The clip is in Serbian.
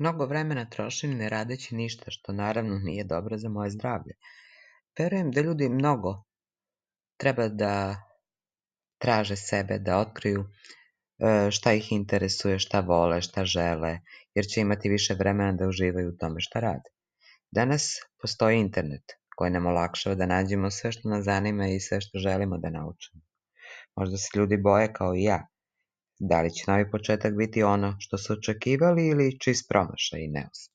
Mnogo vremena trošim ne radeći ništa, što naravno nije dobro za moje zdravlje. Verujem da ljudi mnogo treba da traže sebe, da otkriju šta ih interesuje, šta vole, šta žele, jer će imati više vremena da uživaju u tome šta rade. Danas postoji internet koji nam olakšava da nađemo sve što nas zanima i sve što želimo da naučimo. Možda se ljudi boje kao i ja. Da li će novi početak biti ono što su očekivali ili čist promašaj i neuspeh?